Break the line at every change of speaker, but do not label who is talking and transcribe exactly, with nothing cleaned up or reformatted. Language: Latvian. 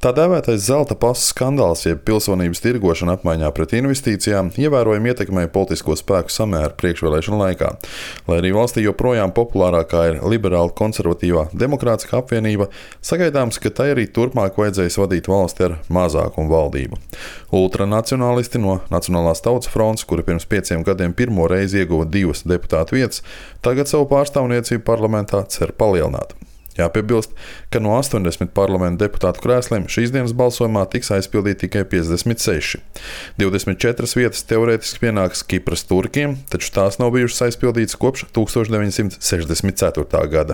Tā dēvētais zelta pasa skandāls, jeb pilsonības tirgošana apmaiņā pret investīcijām, ievērojami ietekmēja politisko spēku samēru priekšvēlēšanu laikā. Lai arī valstī joprojām populārākā ir liberāla konservatīvā demokrātiskā apvienība, sagaidāms, ka tai arī turpmāk vajadzēs vadīt valsti ar mazākumu valdību. Ultranacionālisti no Nacionālās tautas frontes, kuri pirms pieciem gadiem pirmo reizi ieguva divas deputātu vietas, tagad savu pārstāvniecību parlamentā cer palielināt. Jāpiebilst, ka no astoņdesmit parlamenta deputātu krēsliem šīs dienas balsojumā tiks aizpildīti tikai piecdesmit seši. divdesmit četras vietas teorētiski pienāks Kipras turkiem, taču tās nav bijušas aizpildītas kopš tūkstoš deviņsimt sešdesmit ceturtā gada.